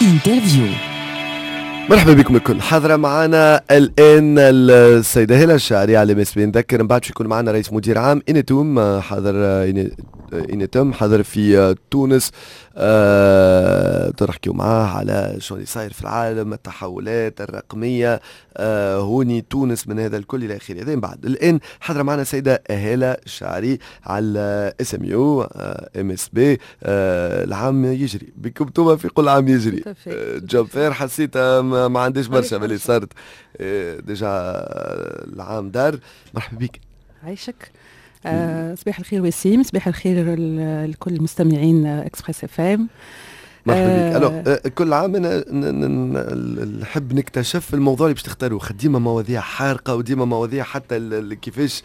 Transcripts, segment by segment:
Interview. مرحبا بكم الكل. حاضرة معنا الآن السيدة هالة الشعري على MSB. نذكر من بعد يكون معنا رئيس مدير عام Inetum، حاضر Inetum حاضر في تونس، تنحكيو معاه على شو اللي صاير في العالم، التحولات الرقمية، هوني تونس من هذا الكل إلى آخره. هذا من بعد. الآن حاضرة معنا السيدة هالة الشعري على اس ام يو ام اس بي. العام يجري بكم انتم في كل عام يجري. job fair حسيت ما عنديش برشا اللي صارت، déjà العام دار. مرحبا بك. عايشك. صباح الخير وسيم، صباح الخير لكل المستمعين Express FM. مرحبا بك. alors كل عام انا نحب نكتشف الموضوع اللي باش تختاروه، ديما مواضيع حارقه وديما مواضيع حتى كيفاش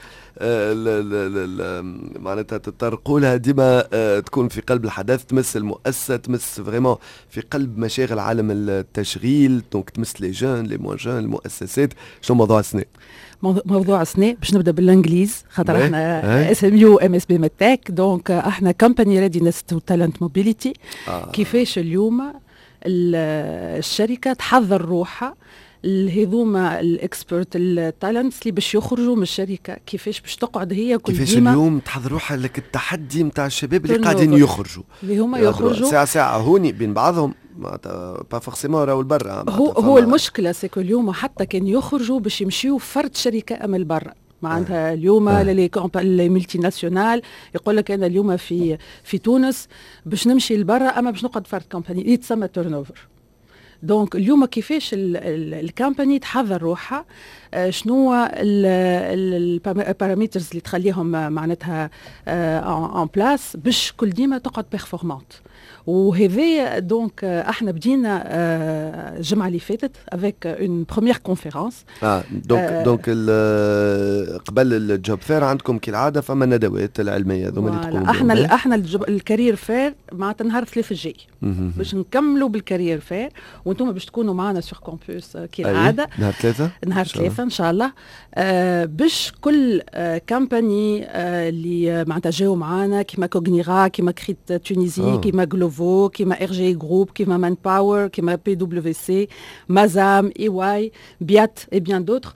معناتها تطرقوا لها ديما تكون في قلب الحدث، تمس المؤسسه، تمس vraiment في قلب مشاغل عالم التشغيل، donc تمس les jeunes، les moins jeunes، المؤسسات. شنو موضوع السنة؟ موضوع السنة باش نبدا بالانجليز خاطر احنا SMU MSB MedTech، donc احنا company readiness to talent mobility. كيفاش اليوم الشركة تحضر روحها هذوما ال experts، ال talents اللي باش يخرجوا من الشركه، كيفاش باش تقعد هي كل كيفاش اليوم تحضر روحها لك التحدي نتاع الشباب اللي قاعدين يخرجوا. اللي هما يخرجوا. ساعة ساعة هوني بين بعضهم، pas forcément راهو البرا. هو المشكلة c'est que اليوم حتى كان يخرجوا باش يمشيو فرد شركة اما البرا، معناتها اليوم les multinationales يقول لك انا اليوم في تونس باش نمشي لبرا اما باش نقعد فرد compagnie، يتسمى turnover. donc اليوم كيفاش ال compagnie تحضر روحها، شنو ال paramètres اللي تخليهم معناتها en place باش كل ديما تقعد performante. وهذا donc احنا بدينا الجمعة اللي فاتت avec une première conférence. اه donc قبل ال job fair عندكم كالعادة فما الندوات العلمية هذوما اللي تقوموا. احنا ال career fair معناتها نهار الثلاث الجاي باش نكملوا بال career fair، وانتم باش تكونوا معنا sur campus كالعاده. نهار ثلاثة. نهار ثلاثة ان شاء الله، باش كل compagnie اللي معناتها جاوا معنا كيما Cognira، كيما Crit Tunisie، كيما Glovo، كيما RG Group، كيما Manpower، كيما PwC، Mazam، EY، BIAT et bien d'autres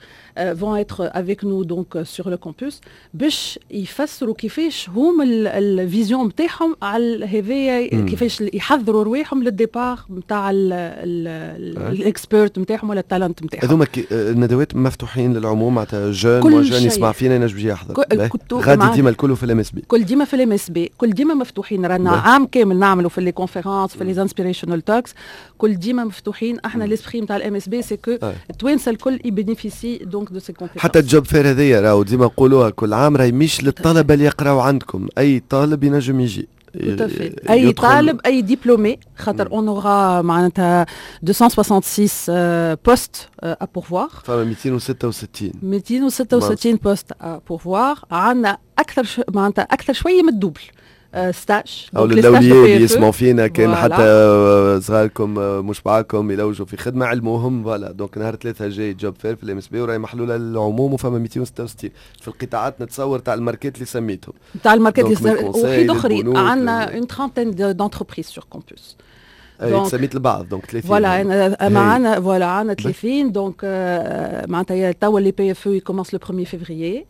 vont être avec nous donc sur le campus باش يفسروا كيفاش هما ال vision نتاعهم على هذايا، كيفاش يحضروا رواحهم لل départ نتاع ال experts نتاعهم ولا ال talent نتاعهم. هذوما الندوات مفتوحين للعموم، معناتها jeune moins jeune يسمع فينا ينجم يجي يحضر؟ غادي ديما الكل في ال MSB؟ كل ديما في ال MSB، كل ديما مفتوحين. رانا عام كامل نعملوا في les conférences، في les inspirational talks، كل ديما مفتوحين. احنا l'esprit نتاع ال MSB c'est que التوانسة الكل ي bénéficient donc de ces conférences. حتى ال job fair هذيا راهو ديما نقولوها كل عام، راهي مش للطلبة اللي يقراو عندكم، اي طالب ينجم يجي. اي طالب، اي diplômé، خاطر on aura معناتها 266 postes à pourvoir. فما 266. 266 postes à pourvoir. عندنا اكثر معناتها اكثر شوية من ال double stage. او للاولياء اللي يسمعوا فينا، كان حتى صغاركم مش معاكم يلوجوا في خدمه، علموهم. voilà، donc نهار ثلاثة جاي job fair في ال MSB وراهي محلولة للعموم، وفما 266 في القطاعات نتصور تاع الماركات اللي سميتهم. تاع الماركات اللي وحيد اخرين، عندنا une trentaine d'entreprises sur campus. اي سميت البعض، donc 30. voilà، معنا voilà عندنا 30. donc معناتها توا les PFE commencent le 1 février.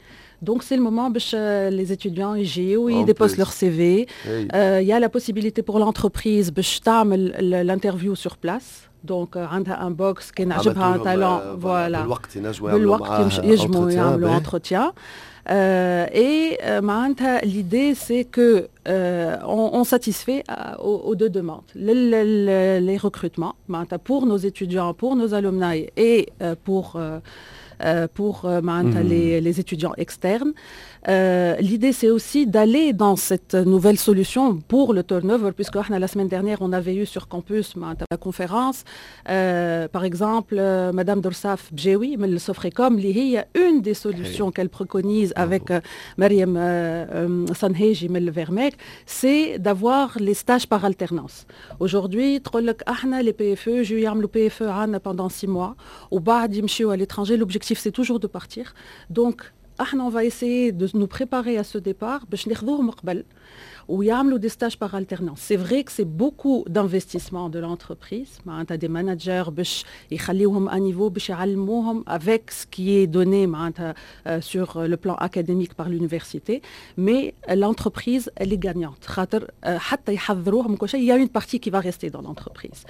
Donc c'est le moment باش les étudiants يجيو ils déposent leur CV. Il y a la possibilité pour l'entreprise باش تعمل l'interview sur place. Donc عندها un box كان عجبها un talent، voilà. بالوقت ينجموا. بالوقت ينجموا يعملوا entretien. Et معناتها l'idée c'est que on satisfait aux deux demandes, les recrutements معناتها pour nos étudiants, pour nos alumni et pour معناتها les étudiants externes. L'idée, c'est aussi d'aller dans cette nouvelle solution pour le turnover, puisque la semaine dernière, on avait eu sur campus la conférence, par exemple, Madame Dorsaf Bjewi, من Sofrecom, اللي هي une des solutions qu'elle préconise avec Mariam Sanheji من Vermeg, c'est d'avoir les stages par alternance. Aujourd'hui, les PFE, je le PFE pendant 6 mois, وبعد يمشيو à l'étranger, l'objectif c'est toujours de partir. Donc, احنا on va essayer de nous préparer à ce départ باش ناخذوهم قبل. ويعملوا des stages par alternance. C'est vrai que c'est beaucoup d'investissement de l'entreprise، معناتها des managers باش يخليوهم à niveau، باش يعلموهم avec ce qui est donné معناتها sur le plan académique par l'université، mais l'entreprise elle est gagnante، خاطر حتى يحضروهم كل شيء، il y a une partie qui va rester dans l'entreprise.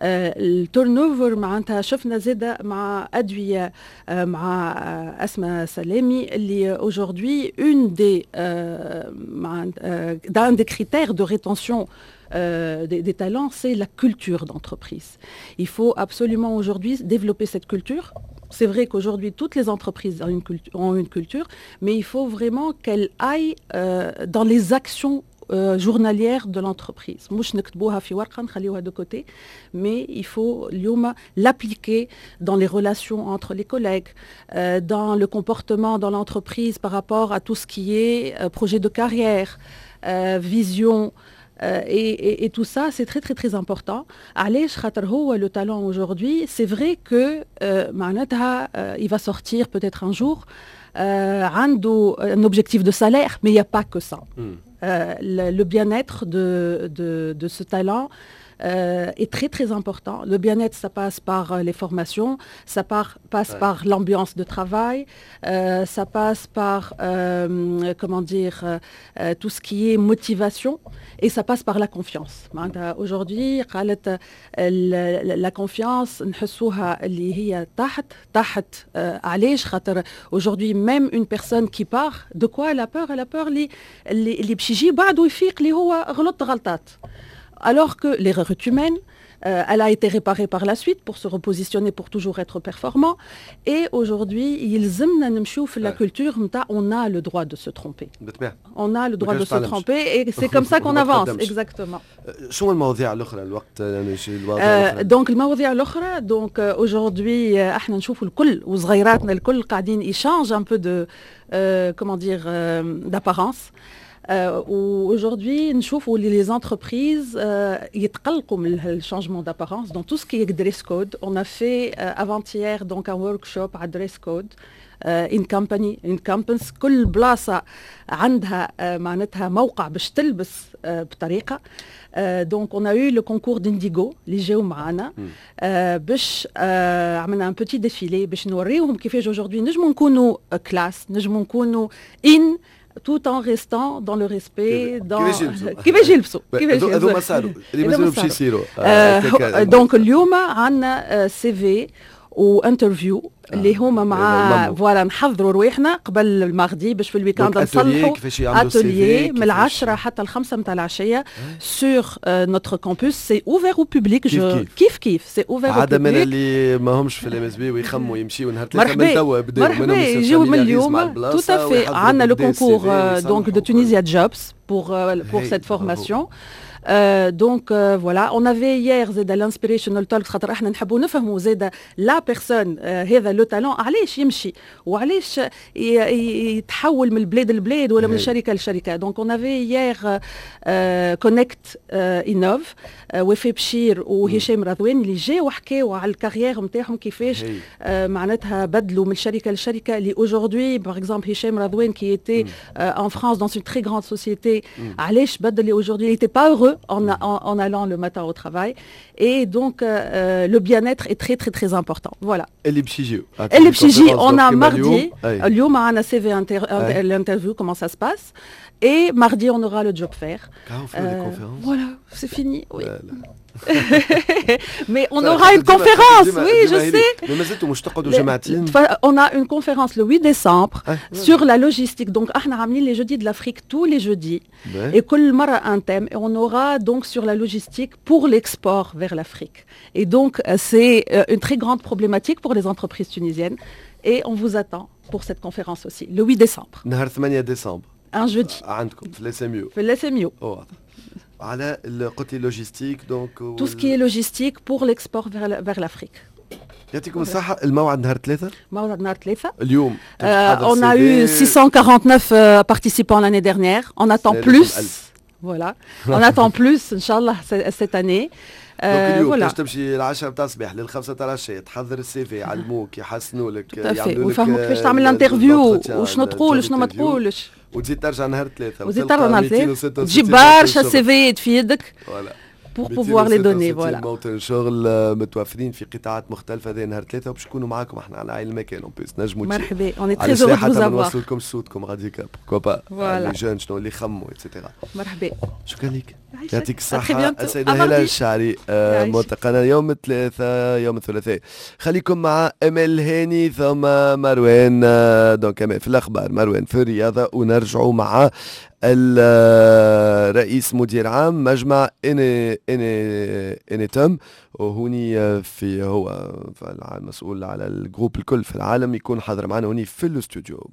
ال turnover معناتها شفنا زاده مع ادويه، مع اسماء سلامي، اللي aujourd'hui une des d'un des critères de rétention des talents, c'est la culture d'entreprise. Il faut absolument aujourd'hui développer cette culture. C'est vrai qu'aujourd'hui, toutes les entreprises ont une culture, mais il faut vraiment qu'elle aille dans les actions journalières de l'entreprise. مش نكتبوها في ورقة نخليوها de côté, mais il faut اليوم l'appliquer dans les relations entre les collègues, dans le comportement dans l'entreprise par rapport à tout ce qui est projet de carrière, vision, et tout ça, c'est très très très important. علاش؟ خاطر هو le talent aujourd'hui, c'est vrai que معناتها il va sortir peut-être un jour عنده un objectif de salaire, mais il n'y a pas que ça. Le bien-être de ce talent est très très important. Le bien-être, ça passe par les formations, ça passe par l'ambiance de travail, ça passe par, comment dire, tout ce qui est motivation et ça passe par la confiance. Aujourd'hui, قالت la confiance نحسوها اللي هي تحت تحت. علاش؟ خاطر aujourd'hui même une personne qui part, de quoi elle a peur؟ Elle a peur اللي باش يجي بعده يفيق اللي هو غلط غلطات، alors que l'erreur est humaine. Elle a été réparée par la suite pour se repositionner، pour toujours être performant. Et aujourd'hui, يلزمنا نمشيو في la culture نتاع on a le droit de se tromper. On a le droit de se tromper et c'est comme ça qu'on avance. Exactement. شو المواضيع الاخرى؟ الوقت؟ donc المواضيع الاخرى، donc aujourd'hui احنا نشوفوا الكل وصغيراتنا الكل قاعدين ils changent un peu de comment dire d'apparence. Aujourd'hui نشوفوا les entreprises يتقلقوا من ال changement d'apparence dans tout ce qui est dress code. On a fait avant-hier donc un workshop على dress code in company، in campus. كل بلاصه عندها معناتها موقع باش تلبس بطريقه. donc on a eu le concours d'Indigo اللي جاو معانا باش عملنا un petit défilé باش نوريوهم كيفاش aujourd'hui نجموا نكونوا classe، نجموا نكونوا in tout en restant dans le respect، dans كيفاش يلبسوا. كيفاش يلبسوا. هذوما صاروا، اللي مازالوا باش يصيروا؟ donc اليوم عندنا CV و interview اللي هما مع voilà، نحضروا رواحنا قبل ال mardi باش في ال week-end نصلحوا. اتوليي من 10 حتى 5 نتاع العشيه sur notre campus، c'est ouvert au public. كيف كيف، c'est ouvert. عادة من اللي ما همش في ال MSB ويخموا يمشيوا نهار 3 من توا. بداوا. مرحبا، يجيو من اليوم، tout à fait. عندنا le concours donc de Tunisia Jobs pour cette formation. Donc voilà، on avait hier زاد l'inspirational talk، خاطر احنا نحبوا نفهموا زاد la personne، هذا le talent علاش يمشي وعلاش يتحول من البلاد للبلاد ولا من شركه لشركه. donc on avait hier Connect Innov، وفاء بشير وهشام رضوان اللي جاوا وحكاوا على ال carrière نتاعهم، كيفاش معناتها بدلوا من شركه لشركه، اللي aujourd'hui par exemple هشام رضوان qui était en France dans une très grande société، علاش بدل؟ aujourd'hui il était pas heureux en allant le matin au travail. Et donc, le bien-être est très, très, très important. Voilà. اللي باش يجيو؟ اللي باش يجي، on a mardi، اليوم عندنا CV l'interview، comment ça se passe. Et mardi, on aura le job fair. Voilà, c'est fini. Oui. Mais on aura une conférence، oui, je sais. On a une conférence le 8 décembre sur la logistique. Donc, احنا عاملين les jeudis de l'Afrique tous les jeudis. Et كل مرة un thème. Et on aura donc sur la logistique pour l'export vers l'Afrique. Et donc, c'est une très grande problématique pour les entreprises tunisiennes. Et on vous attend pour cette conférence aussi, le 8 décembre. نهار 8 décembre. Un jeudi. عندكم في ال SMU؟ في ال SMU. على قلت لي logistique donc؟ Tout ce qui est logistique pour l'export vers l'Afrique. يعطيكم الصحة. الموعد نهار 3؟ موعد نهار 3. اليوم. On a eu 649 participants l'année dernière. On attend plus. Voilà. On attend plus, إن شاء الله, cette année. اليوم باش تمشي ال10 تاع الصباح لل5 تاع العشيه، تحضر ال CV، يعلموك، يحسنوا لك، يعملوا لك ويفهموك كيفاش تعمل l'interview وشنو تقول وشنو ما تقولش. وتزيد ترجع نهار ثلاثة. وتزيد ترجع نهار ثلاثة، تجيب برشا CV في يدك pour pouvoir les donner، voilà. موطن شغل متوفرين في قطاعات مختلفة. هذا نهار ثلاثة وباش نكونوا معاكم احنا على عين المكان en plus نجموا. مرحبا، on est très heureux de vous avoir. نوصلوا لكم صوتكم غاديك، pourquoi pas les jeunes شنو اللي يخموا et cetera. مرحبا. شكرا لك، يعطيك الصحة السيدة هالة الشعري. ملتقانا يوم الثلاثاء، يوم الثلاثاء. خليكم مع امل هاني ثم مروان، donc امل في الاخبار، مروان في الرياضة، ونرجعوا مع الرئيس مدير عام مجمع إني إني إنيتم، وهوني في هو المسؤول على ال groupe الكل في العالم، يكون حاضر معنا هوني في الاستوديو.